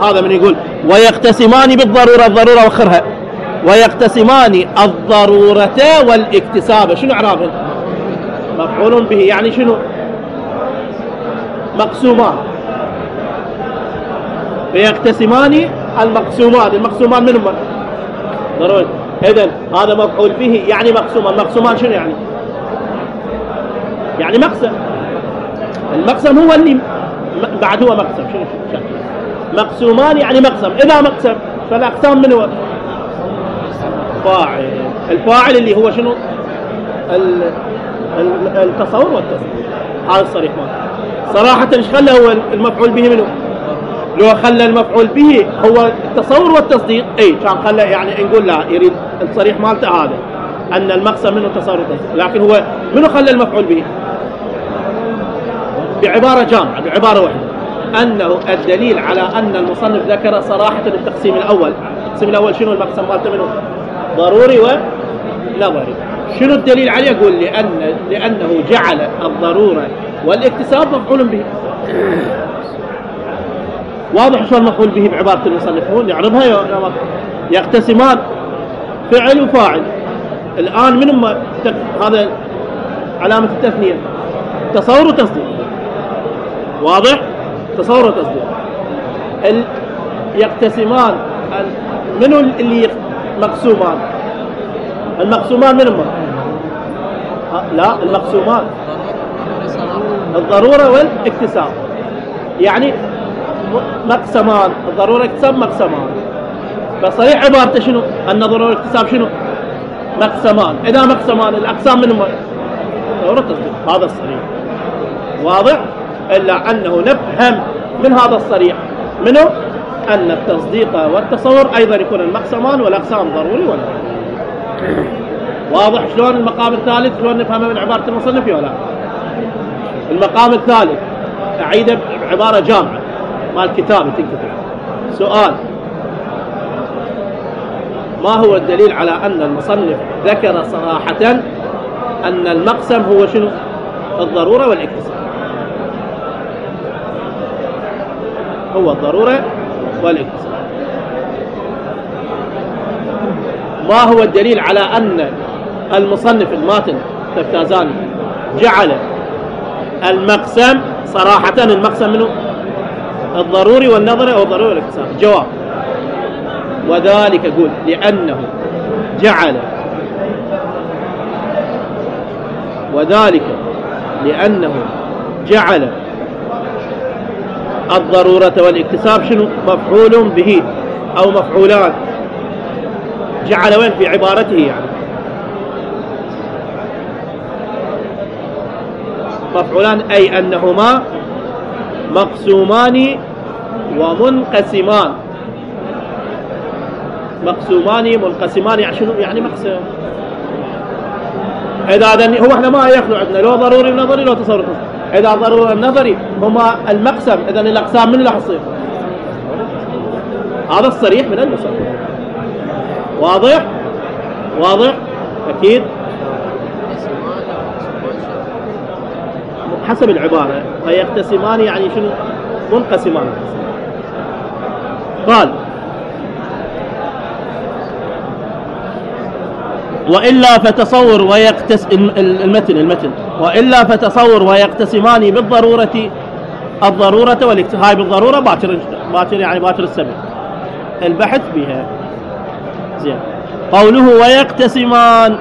[SPEAKER 1] هذا من يقول ويقتسمان بالضرورة الضرورة وخرها ويقتسمان الضرورة والاكتساب شنو إعرابهم؟ مفعول به يعني شنو؟ مقسومان فيقتسمان المقسومان منهم ضروري. إذن هذا مفعول به يعني مقسومان شنو يعني؟ يعني مقسم. المقسم هو اللي بعد هو مقسم شنو مقسومان يعني مقسم. إذا مقسم فالأقسام من هو؟ فاعل. الفاعل اللي هو شنو؟ التصور والتصديق. هذا الصريح ماله صراحة ايش خلى هو المفعول به منه؟ لو خلى المفعول به هو التصور والتصديق كان خلى يعني نقول لا يريد الصريح مالته هذا أن المقسم منه تصور والتصديق. لكن هو منه خلى المفعول به بعبارة جامعة بعبارة واحدة أنه الدليل على أن المصنف ذكر صراحة التقسيم الأول. التقسيم الأول شنو المقسم مالته منه؟ ضروري ونظري. شنو الدليل عليه؟ يقول لأنه جعل الضرورة والاكتساب مفعول به. واضح شو المفعول به بعبارة المصنف هو يعرضها يقتسمان فعل وفاعل. الآن من هذا علامة التثنية تصور وتصديق. واضح؟ تصور وتصديق. يقتسمان منو اللي مقسومان؟ المقسومان من هم؟ لا المقسومان الضرورة والاكتساب يعني مقسمان الضرورة والاكتساب مقسمان. فصريح عبارته شنو؟ أن الضرورة والاكتساب شنو؟ مقسمان. إذا مقسمان الأقسام من هم؟ ضرورة التصديق. هذا الصريح واضح. إلا أنه نفهم من هذا الصريح منه أن التصديق والتصور أيضا يكون المقسمان والأقسام ضروري ولا واضح. شلون المقام الثالث شلون نفهمه من عبارة المصنف ولا؟ المقام الثالث أعيده بعبارة جامعة مال كتابة تنكتب. سؤال: ما هو الدليل على أن المصنف ذكر صراحة أن المقسم هو شنو؟ الضرورة والاكتساب. هو الضرورة والاكتساب. ما هو الدليل على أن المصنف الماتن تفتازاني جعل المقسم صراحة المقسم منه الضروري والنظري أو الضروري والاكتساب؟ جواب: وذلك يقول لأنه جعل الضرورة والاكتساب شنو؟ مفعول به أو مفعولان. جعل وين في عبارته يعني؟ مفعولان أي أنهما مقسومان ومنقسمان. مقسومان منقسمان يعني شنو؟ يعني مقسم. إذا هو احنا ما يخلو عندنا لو ضروري ونظري لو تصور. إذا ضروري النظري هما المقسم إذا الأقسام من اللي حصير؟ هذا الصريح من المصنف. واضح؟ واضح؟ أكيد حسب العبارة. فيقتسمان يعني شنو؟ منقسمان. قال: وإلا فتصور المتن وإلا فتصور ويقتسمان بالضرورة الضرورة والاكتساب. هاي بالضرورة باكر يعني باكر السبب البحث بها. زين. قوله ويقتسمان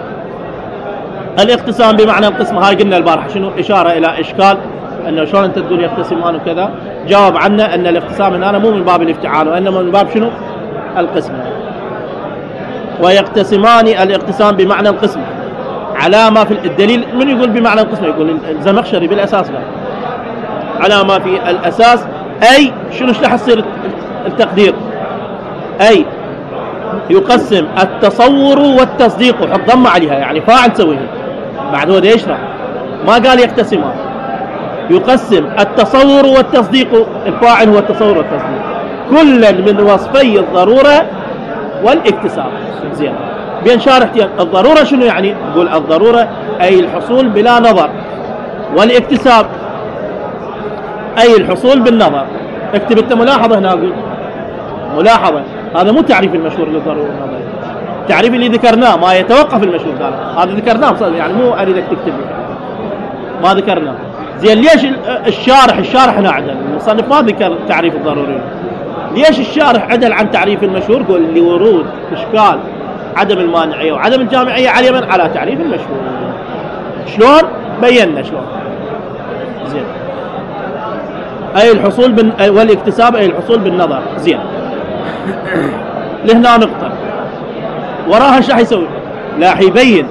[SPEAKER 1] الاقتسام بمعنى القسم. هاي قلنا البارحة شنو؟ إشارة إلى إشكال أنه شلون أنت تقول يقتسمان وكذا. جاوب عنا أن الاقتسام هنا مو من باب الافتعال وإنما من باب شنو؟ القسم. ويقتسمان الاقتسام بمعنى القسم على ما في الدليل. من يقول بمعنى القسم؟ يقول الزمخشري بالأساس. لا، على ما في الأساس. أي شنو راح يصير التقدير؟ أي يقسم التصور والتصديق وحط ضمه عليها يعني فاعل تسويها بعد هو يشرح ما قال يقتسمان. يقسم التصور والتصديق الفاعل هو التصور والتصديق كلا من وصفي الضرورة والاكتساب. زين بين شارحتين الضرورة شنو يعني؟ نقول الضرورة أي الحصول بلا نظر والاكتساب أي الحصول بالنظر. اكتب انت ملاحظة هنا أقول ملاحظة هذا مو تعريف المشهور للضرورة والنظر التعريف اللي ذكرناه ما يتوقف المشهور هذا ذكرناه يعني مو أريدك تكتب ما ذكرناه. زين ليش الشارح هنا عدل المصنف ما ذكر تعريف الضروري ليش الشارح عدل عن تعريف المشهور؟ قول لورود إشكال عدم المانعية وعدم الجامعية على تعريف المشهور. شلون؟ بينا شلون. زين أي الحصول والاكتساب أي الحصول بالنظر. زين لهنا نقطة وراها ايش راح يسوي؟ راح يبين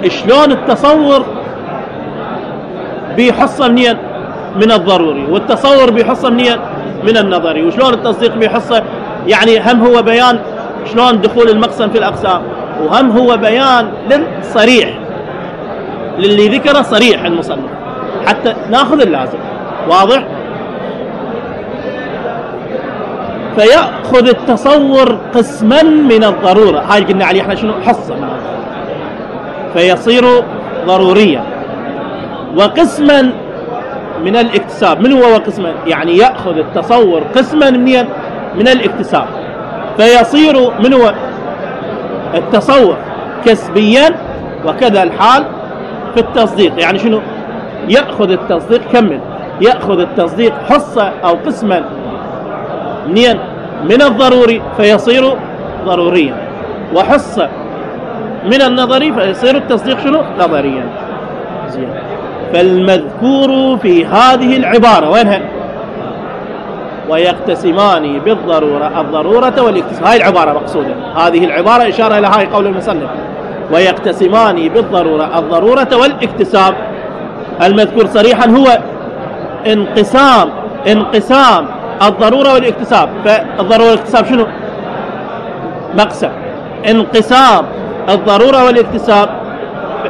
[SPEAKER 1] شلون التصور بيحصه منين؟ من الضروري والتصور بيحصه منين؟ من النظري وشلون التصديق بيحصه يعني هم هو بيان شلون دخول المقسم في الأقسام وهم هو بيان للصريح للي ذكره صريح المصنف حتى ناخذ اللازم. واضح؟ فيأخذ التصور قسما من الضرورة هاي قلنا عليه احنا شنو؟ حصة فيصير ضروريا وقسما من الاكتساب. من هو قسما؟ يعني يأخذ التصور قسما من الاكتساب فيصير من هو التصور كسبيا وكذا الحال في التصديق. يعني شنو؟ يأخذ التصديق كمل يأخذ التصديق حصة أو قسما من الضروري فيصير ضروريا وحصة من النظري فيصير التصديق شنو؟ نظريا. زين فالمذكور في هذه العبارة وينها؟ ويقتسمان بالضرورة الضرورة والاكتساب. هاي العبارة مقصودة هذه العبارة إشارة إلى هاي قول المصنف ويقتسمان بالضرورة الضرورة والاكتساب. المذكور صريحا هو انقسام الضرورة والاكتساب. فالضرورة والاكتساب شنو؟ مقسم. انقسام الضرورة والاكتساب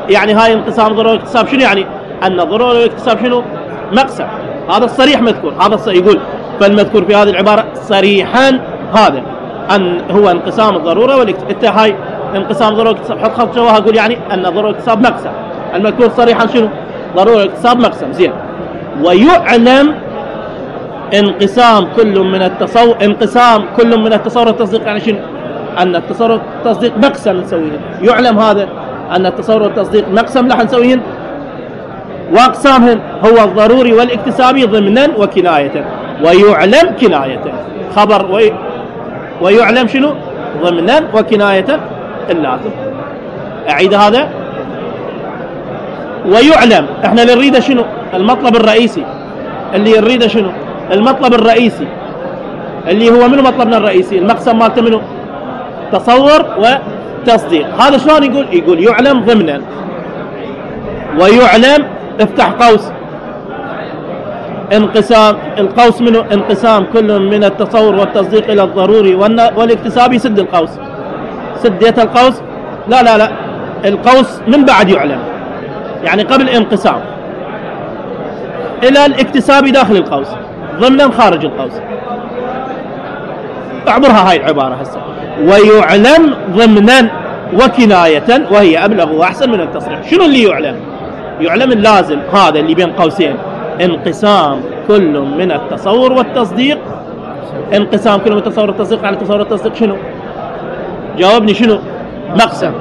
[SPEAKER 1] يعني هاي انقسام الضرورة والاكتساب شنو يعني؟ أن الضرورة والاكتساب شنو؟ مقسم. هذا الصريح مذكور هذا يقول فالمذكور في هذه العبارة صريحا هذا أن هو انقسام الضرورة والاكتساب. انت هاي انقسام الضرورة والاكتساب حط خط جواها قول يعني أن الضرورة والاكتساب مقسم. المذكور صريحا شنو؟ ضرورة والاكتساب مقسم. زين ويعلم انقسام كل من التصور والتصديق يعني شنو؟ أن التصور والتصديق مقسم نسويه. يعلم هذا أن التصور والتصديق مقسم راح نسويهن وأقسامهن هو الضروري والاكتسابي ضمنا وكناية. ويعلم كناية خبر ويعلم شنو؟ ضمنا وكناية اللازم. أعيد هذا. ويعلم احنا اللي نريده شنو؟ المطلب الرئيسي اللي نريده شنو؟ المطلب الرئيسي اللي هو منو مطلبنا الرئيسي؟ المقسم مالته منو؟ تصور وتصديق. هذا شلون يقول يعلم ضمنا ويعلم افتح قوس انقسام القوس منه انقسام كل من التصور والتصديق إلى الضروري والاكتسابي. سد القوس سديت القوس لا القوس من بعد يعلم يعني قبل انقسام إلى الاكتسابي داخل القوس ضمنا خارج القوس. اعبرها هاي العبارة هسه ويعلم ضمنا وكناية وهي أبلغ وأحسن من التصريح. شنو اللي يعلم؟ يعلم اللازم هذا اللي بين قوسين انقسام كل من التصور والتصديق. انقسام كل من التصور والتصديق على التصور والتصديق شنو؟ جاوبني شنو؟ مقسم.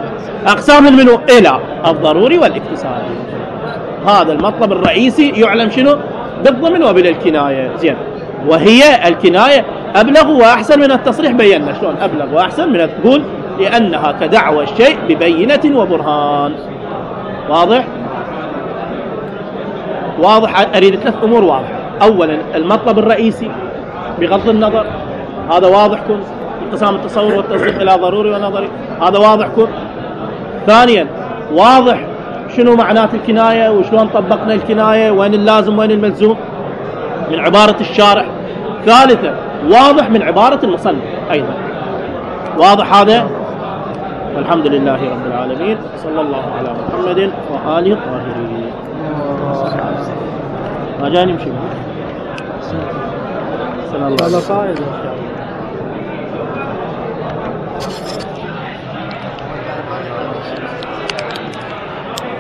[SPEAKER 1] أقسامهم منه إلى الضروري والاكتسابي. هذا المطلب الرئيسي يعلم شنو؟ بالضمن وبالكناية. زين وهي الكناية أبلغ وأحسن من التصريح. بينا شلون أبلغ وأحسن من تقول لأنها كدعوى الشيء ببينة وبرهان. واضح؟ أريد 3 أمور واضحة. أولا المطلب الرئيسي بغض النظر هذا واضح كن انقسام التصور والتصديق إلى ضروري ونظري هذا واضح كن. ثانيا واضح شنو معنات الكناية وشلون طبقنا الكناية وين اللازم وين الملزوم من عبارة الشارح. ثالثا واضح من عبارة المصنف أيضا واضح هذا؟ والحمد لله رب العالمين، صلى الله على محمد وآله الطاهرين. ما جاني نمشي
[SPEAKER 3] الله صايد.